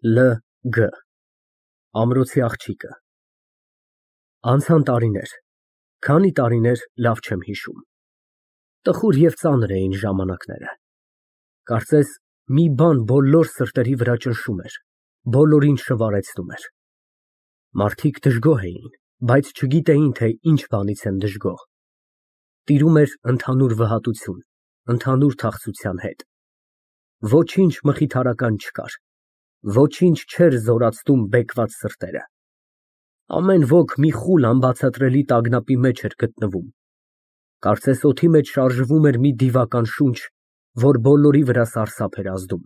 L.G. Ամրոցի աղջիկը։ Անցան տարիներ, քանի տարիներ լավ չեմ հիշում։ Տխուր և ծանր էին ժամանակները։ Կարծես մի բան բոլոր սրտերի վրա ճնշում էր, բոլորին շվարեցնում էր։ Մարդիկ դժգոհ էին, բայց չգիտեին, թե ինչ բանից են դժգոհ։ Տիրում էր ընդհանուր վհատություն, ընդհանուր թախծության հետ։ Ոչինչ մխիթարական չկար, ոչինչ չէր զորացնում բեկված սրտերը։ Ամեն ոք մի խուլ անբացատրելի տագնապի մեջ էր գտնվում։ Կարծես օդի մեջ շարժվում էր մի դիվական շունչ, որ բոլորի վրա սարսափ էր ազդում։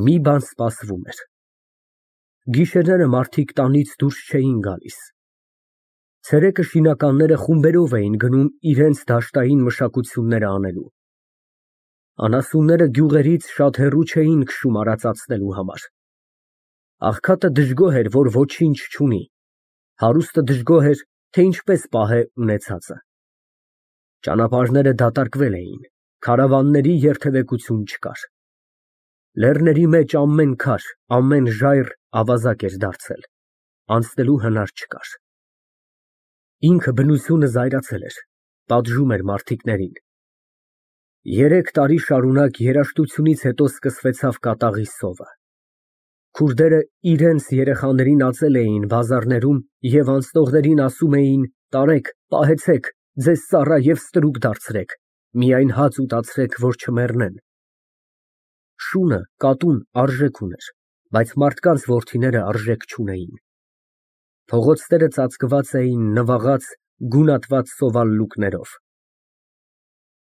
Մի բան սպասվում էր։ Գիշերները մարդիկ տանից դուրս չէին գալիս։ Ցերեկը շինականները խումբերով էին գնում իրենց դաշտային մշակությունները անելու։ Անասունները գյուղերից շատ հեռու չէին քշում արածացնելու համար։ Աղքատը դժգոհ էր, որ ոչինչ չունի, հարուստը դժգոհ էր, թե ինչպես պահե ունեցածը։ Ճանապարհները դատարկվել էին, քարավանների երթևեկություն չկար։ Լեռների մեջ ամեն քար, ամեն ժայռ ավազակ էր դարձել, անցնելու հնար չկար։ Ինքը բնությունը զայրացել էր, պատժում էր մարդիկներին։ 3 տարի շարունակ երաժշտությունից հետո սկսվեցավ կատաղի սովը։ Քուրդերը իրենց երեխաներին ածել էին բազարներում և անցնողներին ասում էին. «Տարեք, պահեցեք, ձեզ ծառա և ստրուկ դարձրեք, միայն հաց ուտացրեք, որ չմեռնեն»։ Շունը, կատուն արժեք ուներ, բայց մարդկանց որդիները արժեք չունեին։ Փողոցները ծածկված էին նվաղած, գունատված սովալուկներով։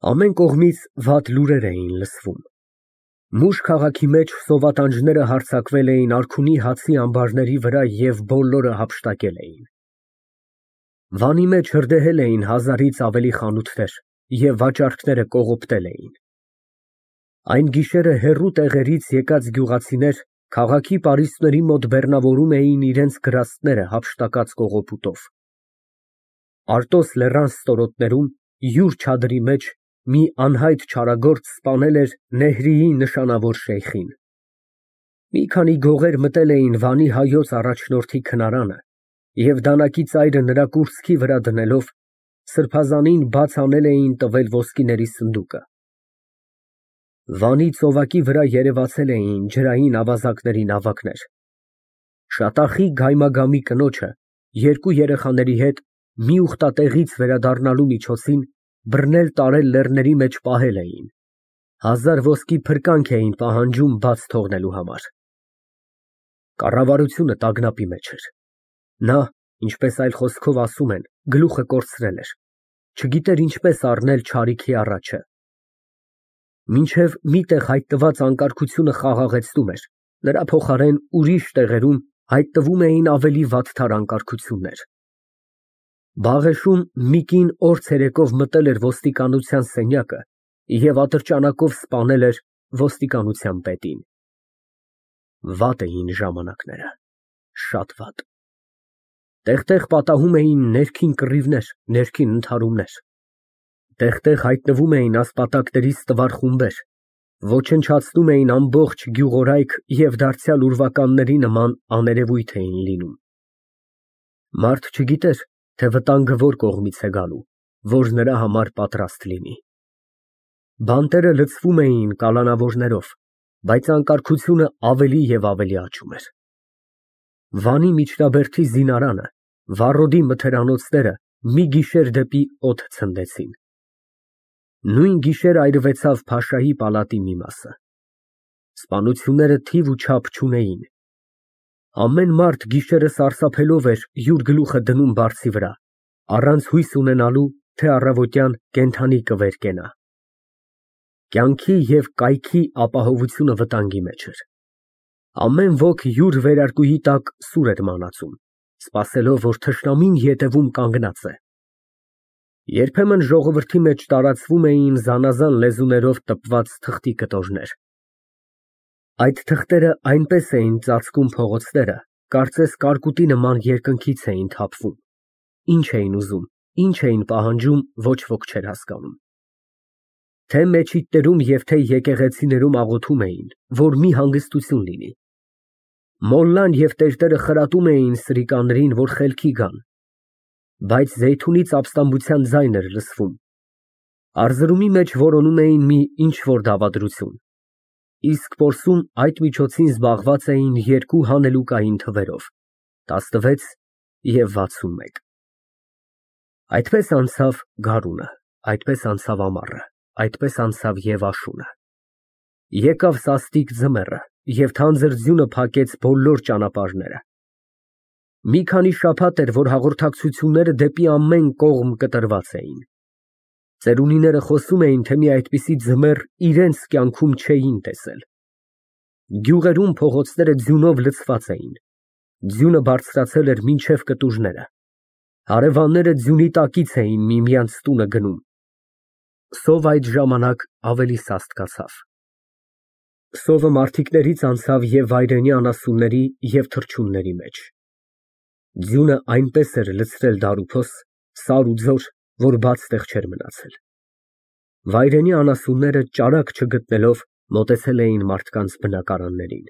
Ամեն կողմից վատ լուրեր էին լսվում։ Մուշ քաղաքի մեջ սովատանջները հարձակվել էին արքունի հացի ամբարների վրա և բոլորը հափշտակել էին։ Վանի մեջ հրդեհել էին 1000-ից ավելի խանութներ և վաճառքները կողոպտել էին։ Այն գիշերը հեռու տեղերից եկած գյուղացիներ քաղաքի պարիսպների մոտ բեռնավորում էին իրենց գրաստները հափշտակած կողոպուտով։ Արտոս լեռան ստորոտներում, յուր չադրի մեջ, մի անհայտ չարագործ սպանել էր Նեհրիի նշանավոր շեյխին։ Մի քանի գողեր մտել էին Վանի հայոց առաջնորդի քնարանը և դանակի ծայրը նրա կուրծքի վրա դնելով, սրբազանին բաց անել էին տվել ոսկիների սնդուկը։ Վանի ծովակի վրա երևացել էին ջրային ավազակների նավակներ։ Շատախի գայմագամի կնոջը երկու երեխաների հետ մի ուխտատեղից վերադառնալու միջոցին բռնել֊տարել լեռների մեջ պահել էին, 1000 ոսկի փրկանք էին պահանջում բաց թողնելու համար։ Կառավարությունը տագնապի մեջ էր։ Նա, ինչպես այլ խոսքով ասում են, գլուխը կորցրել էր, չգիտեր ինչպես առնել չարիքի առաջը։ Մինչև մի տեղ հայտնված անկարգությունը խաղաղեցնում էր, նրա փոխարեն ուրիշ տեղերում հայտնվում էին ավելի վատթար անկարգություններ։ Բաղեշում մի կին օր ցերեկով մտել էր ոստիկանության սենյակը և ատրճանակով սպանել էր ոստիկանության պետին։ Վատ էին ժամանակները, շատ վատ։ Տեղ֊տեղ պատահում էին ներքին կռիվներ, ներքին ընդհարումներ։ Տեղ֊տեղ հայտնվում էին ասպատակների ստվար խումբեր, ոչնչացնում էին ամբողջ գյուղորայք և դարձյալ ուրվականների նման աներևույթ էին լինում։ Մարդ չգիտեր, թե վտանգը որ կողմից է գալու, որ նրա համար պատրաստ լինի։ Բանտերը լցվում էին կալանավորներով, բայց անկարգությունը ավելի և ավելի աճում էր։ Վանի միջնաբերդի զինարանը, վառոդի մթերանոցները մի գիշեր դեպի օդ ցնդեցին։ Նույն գիշեր այրվեցավ փաշայի պալատի մի մասը։ Սպանությունները թիվ ու չափ չունեին։ Ամեն մարդ գիշերը սարսափելով էր յուր գլուխը դնում բարձի վրա, առանց հույս ունենալու, թե առավոտյան կենդանի կվերկենա։ Կյանքի և կայքի ապահովությունը վտանգի մեջ էր։ Ամեն ոք յուր վերարկուի տակ սուր էր մանածում, սպասելով, որ թշնամին ետևում կանգնած է։ Երբեմն ժողովրդի մեջ տարածվում էին զանազան լեզուներով տպված թղթի կտորներ։ Այդ թղթերը այնպես էին ծածկում փողոցները, կարծես կարկուտի նման երկնքից էին թափվում։ Ինչ էին ուզում, ինչ էին պահանջում, ոչ ոք չէր հասկանում։ Թե մեչիթներում և թե եկեղեցիներում աղոթում էին, որ մի հանգստություն լինի, Մոլլան և տերտերը խրատում էին սրիկաներին, որ խելքի գան, բայց Զեյթունից ապստամբության ձայն էր լսվում, առզրումի մեջ որոնում էին մի ինչ֊որ դավադրություն, իսկ որսում այդ միջոցին զբաղված էին երկու հանելուկային թվերով՝ 16 և 61։ Այդպես անցավ գարունը, այդպես անցավ ամառը, այդպես անցավ և աշունը։ Եկավ սաստիկ ձմեռը, և թանձր ձյունը փակեց բոլոր ճանապարհները։ Մի քանի շաբաթ էր, որ հաղորդակցությունները դեպի ամեն կողմ կտրված էին։ Ծերունիները խոսում էին, թե մի այդպիսի ձմեռ իրենց կյանքում չէին տեսել։ Գյուղերում փողոցները ձյունով լցված էին։ Ձյունը բարձրացել էր մինչև կտուժները։ Հարևանները ձյունի տակից էին միմյանց տունը գնում։ Սով այդ ժամանակ ավելի սաստկացավ։ Սովը մարդիկներից անցավ և վայրենի անասունների և թռչունների մեջ։ Ձյունը այնպես էր լցրել դարուփոս, սար ու ձոր, որ բաց տեղ չէր մնացել։ Վայրենի անասունները ճարակ չգտնելով մոտեցել էին մարդկանց բնակարաններին։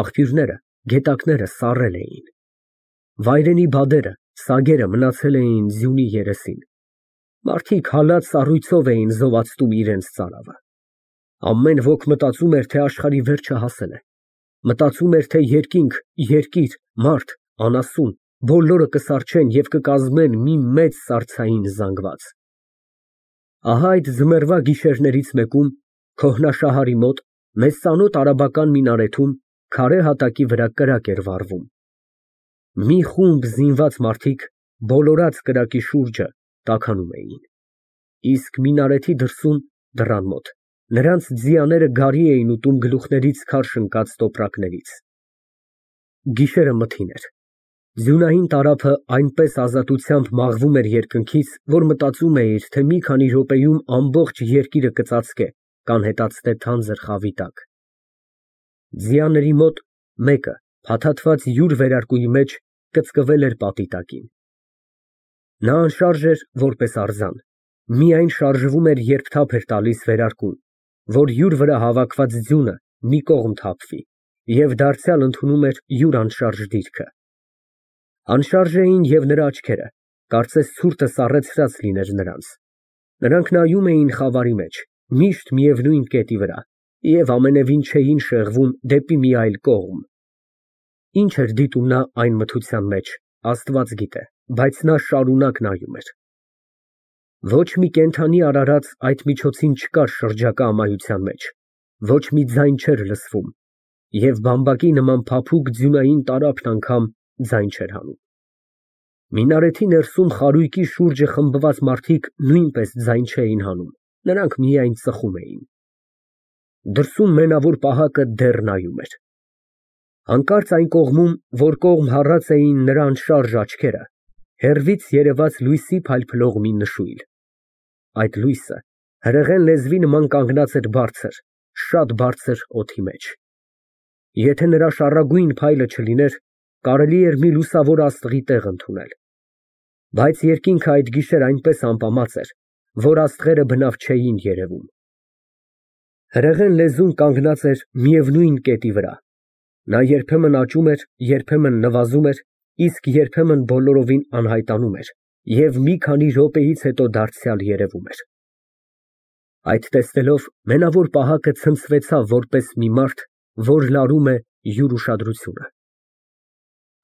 Աղբյուրները, գետակները սառել էին։ Վայրենի բադերը, սագերը մնացել էին ձյունի երեսին։ Մարդիկ հալած սառույցով էին զովացնում իրենց ծարավը։ Ամեն ոք մտածում էր, թե աշխարհի վերջը հասել է։ Մտածում էր, թե երկինք, երկիր, մարդ, անասուն, բոլորը կսառչեն և կկազմեն մի մեծ սառցային զանգված։ Ահա այդ ձմեռվա գիշերներից մեկում, քոհնաշահարի մոտ, մեզ ծանոթ արաբական մինարեթում, քարե հատակի վրա կրակ էր վառվում։ Մի խումբ զինված մարդիկ, բոլորած կրակի շուրջը, տաքանում էին։ Իսկ մինարեթի դրսում, դռան մոտ, նրանց ձիաները գարի էին ուտում գլուխներից քարշ ընկած տոպրակներից։ Գիշերը մթին էր։ Ձյունային տարափը այնպես ազատությամբ մաղվում էր երկնքից, որ մտածում էիր, թե մի քանի րոպեում ամբողջ երկիրը կծածկե, կանհետացնե թանձր խավի տակ։ Ձիաների մոտ մեկը, փաթաթված յուր վերարկուի մեջ, կծկվել էր պատի տակին։ Նա անշարժ էր, որպես արձան, միայն շարժվում էր, երբ թափ էր տալիս վերարկուն, որ յուր վրա հավաքված ձյունը մի կողմ թափվի, և դարձյալ ընդունում էր յուր անշարժ դիրքը։ Անշարժ էին և նրա աչքերը, կարծես ցուրտը սառեցրած լիներ նրանց։ Նրանք նայում էին խավարի մեջ, միշտ միևնույն կետի վրա, և ամենևին չէին շեղվում դեպի մի այլ կողմ։ Ինչ էր դիտում նա այն մթության մեջ, Աստված գիտե, բայց նա շարունակ նայում էր։ Ոչ մի կենդանի արարած այդ միջոցին չկար շրջակա ամայության մեջ, ոչ մի ձայն չէր լսվում, և բամբակի նման փափուկ ձյունային տարափն անգամ ձայն չէր հանում։ Մինարեթի ներսում խարույկի շուրջը խմբված մարդիկ նույնպես ձայն չէին հանում, նրանք միայն ծխում էին։ Դրսում մենավոր պահակը դեռ նայում էր։ Հանկարծ այն կողմում, որ կողմ հառած էին նրա անշարժ աչքերը, հեռվից երևաց լույսի փայլփլող մի նշույլ։ Այդ լույսը հրեղեն լեզվի նման կանգնած էր բարձր, շատ բարձր օդի մեջ։ Եթե նրա շառագույն փայլը չլիներ, կարելի էր մի լուսավոր աստղի տեղ ընդունել։ Բայց երկինքը այդ գիշեր այնպես ամպամած էր, որ աստղերը բնավ չէին երևում։ Հրեղեն լեզուն կանգնած էր միևնույն կետի վրա։ Նա երբեմն աճում էր, երբեմն նվազում էր, իսկ երբեմն բոլորովին անհայտանում էր և մի քանի րոպեից հետո դարձյալ երևում էր։ Այդ տեսնելով մենավոր պահակը ցնցվեցավ որպես մի մարդ, որ լարում է յուր ուշադրությունը։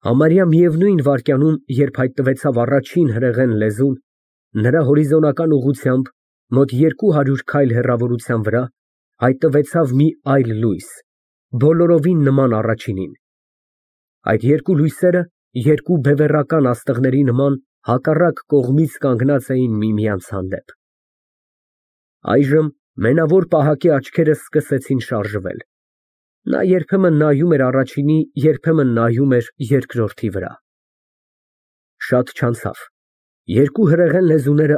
Համարյա միևնույն վայրկյանում, երբ հայտնվեցավ առաջին հրեղեն լեզուն, նրա հորիզոնական ուղղությամբ, մոտ 200 քայլ հեռավորության վրա, հայտնվեցավ մի այլ լույս, բոլորովին նման առաջինին։ Այդ երկու լույսերը, երկու բևեռական աստղերի նման, հակառակ կողմից կանգնած էին միմյանց հանդեպ։ Այժմ մենավոր պահակի աչքերը սկսեցին շարժվել։ Նա երբեմն նայում էր առաջինի, երբեմն նայում էր երկրորդի վրա։ Շատ չանցավ։ Երկու հրեղեն լեզուները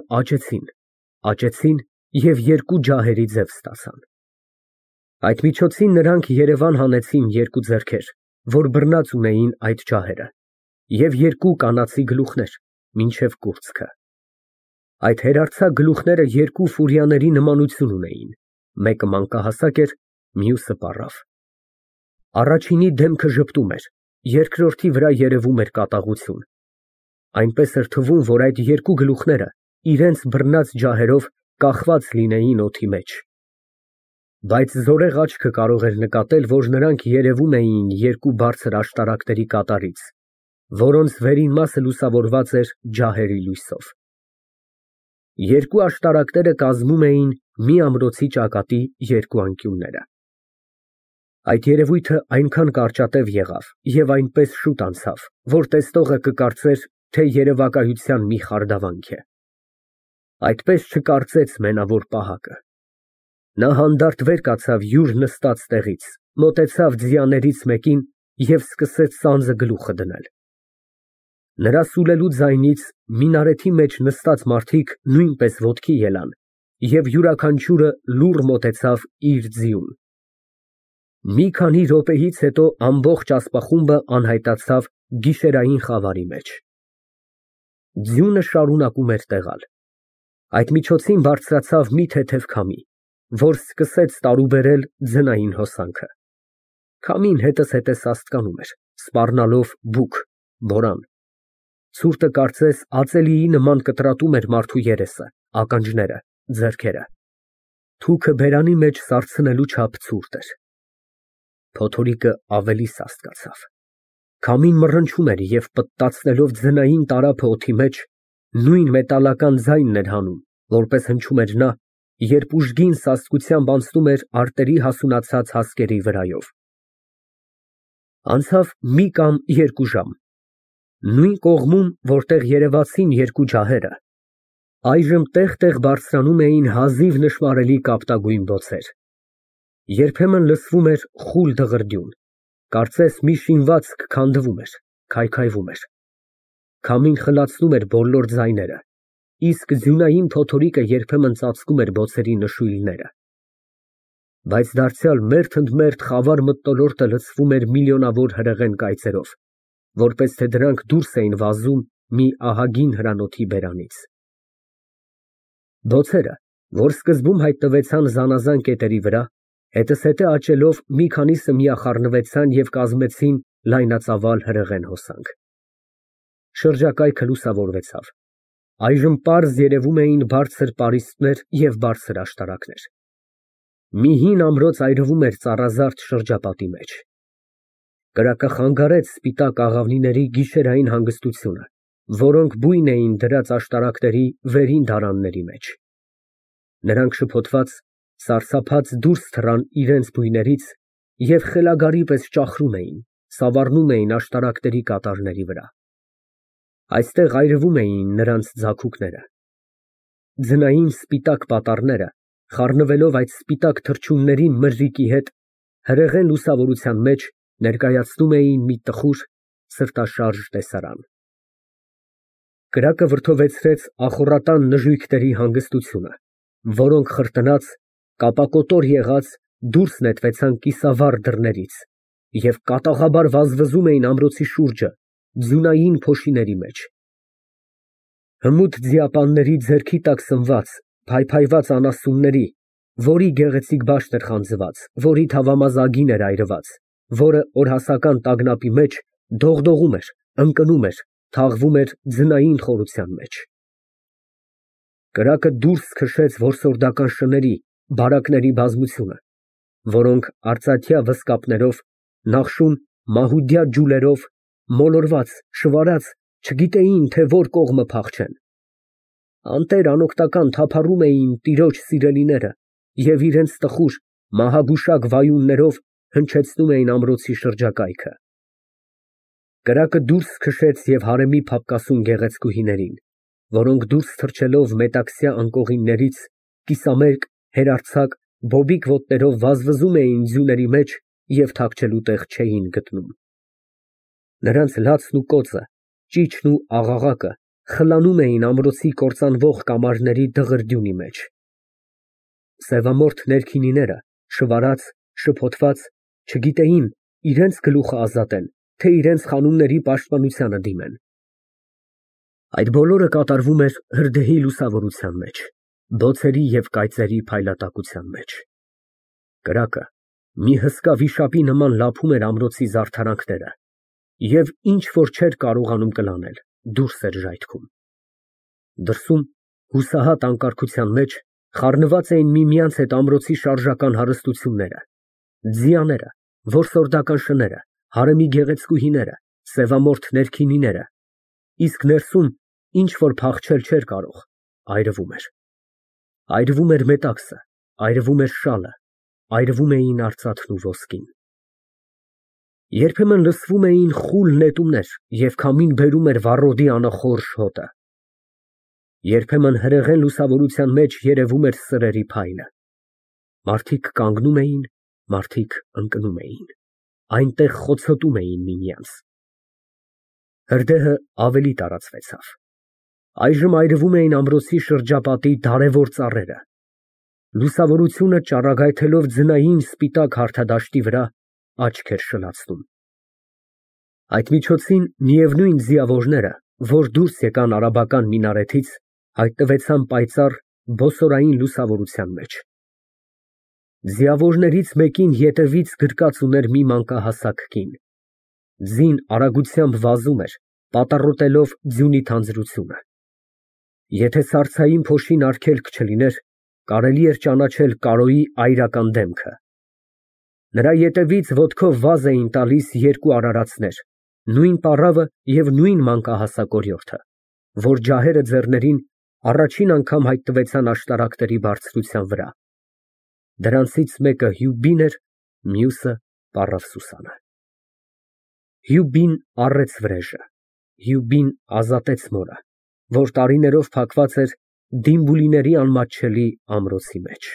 աճեցին և երկու ջահերի ձև ստացան։ Այդ միջոցին նրանք երևան հանեցին երկու ձեռքեր, որ բռնած ունեին այդ ջահերը, և երկու կանացի գլուխներ, մինչև կուրծքը։ Այդ հերարձակ գլուխները երկու ֆուրիաների նմանություն ունեին, մեկը մանկահասակ էր, մյուսը պառավ։ Առաջինի դեմքը ժպտում էր, երկրորդի վրա երևում էր կատաղություն։ Այնպես էր թվում, որ այդ երկու գլուխները իրենց բռնած ջահերով կախված լինեին օդի մեջ։ Բայց զորեղ աչքը կարող էր նկատել, որ նրանք երևում էին երկու բարձր աշտարակների կատարից, որոնց վերին մասը լուսավորված էր ջահերի լույսով։ Երկու աշտարակները կազմում էին մի ամրոցի ճակատի երկու անկյունները։ Այդ երևույթը այնքան կարճատև եղավ և այնպես շուտ անցավ, որ տեսնողը կկարծեր, թե երևակայության մի խարդավանք է։ Այդպես չկարծեց մենավոր պահակը։ Նա հանդարտ վեր կացավ յուր նստած տեղից, մոտեցավ ձիաներից մեկին և սկսեց սանձը գլուխը դնել։ Նրա սուլելու ձայնից մինարեթի մեջ նստած մարդիկ նույնպես ոտքի ելան և յուրաքանչյուրը լուռ մոտեցավ իր ձիուն։ Մի քանի րոպեից հետո ամբողջ ասպախումբը անհայտացավ գիշերային խավարի մեջ։ Ձյունը շարունակում էր տեղալ։ Այդ միջոցին բարձրացավ մի թեթև քամի, որ սկսեց տարուբերել ձնային հոսանքը։ Քամին հետզհետե սաստկանում էր, սպառնալով բուք, բորան։ Ցուրտը կարծես ածելիի նման կտրատում էր մարդու երեսը, ականջները, ձեռքերը։ Թուքը բերանի մեջ սառցնելու չափ ցուրտ էր։ Փոթորիկը ավելի սաստկացավ։ Քամին մռնչում էր և պտտացնելով ձնային տարափը օդի մեջ, նույն մետալական ձայնն էր հանում, որպես հնչում էր նա, երբ ուժգին սաստկությամբ անցնում էր արտերի հասունացած հասկերի վրայով։ Անցավ մի կամ երկու ժամ։ Նույն կողմում, որտեղ երևացին երկու ջահերը, այժմ տեղ֊տեղ բարձրանում էին հազիվ նշմարելի կապտագույն բոցեր։ Երբեմն լսվում էր խուլ դղրդյուն, կարծես մի շինվածք քանդվում էր, քայքայվում էր։ Քամին խլացնում էր բոլոր ձայները, իսկ ձյունային փոթորիկը երբեմն ծածկում էր բոցերի նշույլները։ Բայց դարձյալ մերթ ընդ մերթ խավար մթնոլորտը լցվում էր միլիոնավոր հրեղեն կայծերով, որպես թե դրանք դուրս էին վազում մի ահագին հրանոթի բերանից։ Բոցերը, որ սկզբում հայտնվեցան զանազան կետերի վրա, հետզհետե աճելով մի քանիսը միախառնվեցան և կազմեցին լայնածավալ հրեղեն հոսանք։ Շրջակայքը լուսավորվեցավ։ Այժմ պարզ երևում էին բարձր պարիսպներ և բարձր աշտարակներ։ Մի հին ամրոց այրվում էր ծառազարդ շրջապատի մեջ։ Կրակը խանգարեց սպիտակ աղավնիների գիշերային հանգստությունը, որոնք բույն էին դրած աշտարակների վերին դարանների մեջ։ Նրանք շփոթված, սարսափած դուրս թռան իրենց բույներից և խելագարի պես ճախրում էին, սավառնում էին աշտարակների կատարների վրա։ Այստեղ այրվում էին նրանց ձագուկները։ Ձնային սպիտակ պատառները, խառնվելով այդ սպիտակ թռչունների մրրիկի հետ, հրեղեն լուսավորության մեջ ներկայացնում էին մի տխուր, սրտաշարժ տեսարան։ Կրակը վրդովեցրեց ախոռատան նժույգների հանգստությունը, որոնք խրտնած, կապակոտոր եղած դուրս նետվեցան կիսավառ դռներից և կատաղաբար վազվզում էին ամրոցի շուրջը, ձյունային փոշիների մեջ։ Հմուտ ձիապանների ձեռքի տակ սնված, փայփայված անասունների, որի գեղեցիկ բաշտ էր խանձված, որի թավամազ ագին էր այրված, որը օրհասական տագնապի մեջ դողդողում էր, ընկնում էր, թաղվում էր ձնային խորության մեջ։ Կրակը դուրս քշեց որսորդական շների, բարակների բազմությունը, որոնք արծաթյա վզկապներով, նախշուն մահուդյա ջուլերով, մոլորված, շվարած, չգիտեին, թե որ կողմը փախչեն։ Անտեր անօգնական թափառում էին տիրոջ սիրելիները և իրենց տխուր, մահագուշակ վայուններով հնչեցնում էին ամրոցի շրջակայքը։ Կրակը դուրս քշեց և հարեմի փափկասուն գեղեցկուհիներին, որոնք դուրս թռչելով մետաքսյա անկողիններից, կիսամերկ, հերարձակ, բոբիկ ոտներով վազվզում էին ձյուների մեջ և թաքչելու տեղ չէին գտնում։ Նրանց լացն ու կոծը, ճիչն ու աղաղակը խլանում էին ամրոցի կործանվող կամարների դղրդյունի մեջ։ Սևամորթ ներքինիները, շվարած, շփոթված, չգիտեին իրենց գլուխը ազատեն, թե իրենց խանումների պաշտպանությանը դիմեն։ Այդ բոլորը կատարվում էր հրդեհի լուսավորության մեջ, բոցերի և կայծերի փայլատակության մեջ։ Կրակը Մի հսկա վիշապի նման լափում էր ամրոցի զարդարանքները և ինչ որ չէր կարողանում կլանել, դուրս էր ժայթքում։ Դրսում, հուսահատ անկարգության մեջ, խառնված էին միմյանց հետ ամրոցի շարժական հարստությունները, ձիաները, որսորդական շները, հարեմի գեղեցկուհիները, սևամորթ ներքինիները, իսկ ներսում ինչ որ փախչել չէր կարող, այրվում էր։ Այրվում էր մետաքսը, այրվում էր շալը, այրվում էին արծաթն ու ոսկին։ Երբեմն լսվում էին խուլ նետումներ և քամին բերում էր վառոդի անախորժ հոտը։ Երբեմն հրեղեն լուսավորության մեջ երևում էր սրերի փայլը։ Մարդիկ կանգնում էին, մարդիկ ընկնում էին, այնտեղ խոցոտում էին միմյանց։ Հրդեհը ավելի տարածվեցավ։ Այժմ այրվում էին ամրոցի շրջապատի դարավոր ծառերը։ Լուսավորությունը ճառագայթելով ձնային սպիտակ հարթադաշտի վրա աչք էր շլացնում։ Այդ միջոցին միևնույն ձիավորները, որ դուրս եկան արաբական մինարեթից, հայտնվեցան պայծառ բոսորային լուսավորության մեջ։ Ձիավորներից մեկին ետևից գրկած ուներ մի մանկահասակ կին։ Ձին արագությամբ վազում էր, պատառոտելով ձյունի թանձրությունը։ Եթե սառցային փոշին արգելք չլիներ, կարելի էր ճանաչել Կարոյի այրական դեմքը։ Նրա ետևից ոտքով վազ էին տալիս երկու արարածներ, նույն պառավը և նույն մանկահասակ օրիորդը, որ ջահերը ձեռներին առաջին անգամ հայտնվեցան աշտարակների բարձրության վրա։ Դրանցից մեկը Հյուբին էր, մյուսը պառավ Սուսանը։ Հյուբին առեց վրեժը, Հյուբին ազատեց մորը, որ տարիներով փակված էր Դիմբուլիների անմատչելի ամրոցի մեջ։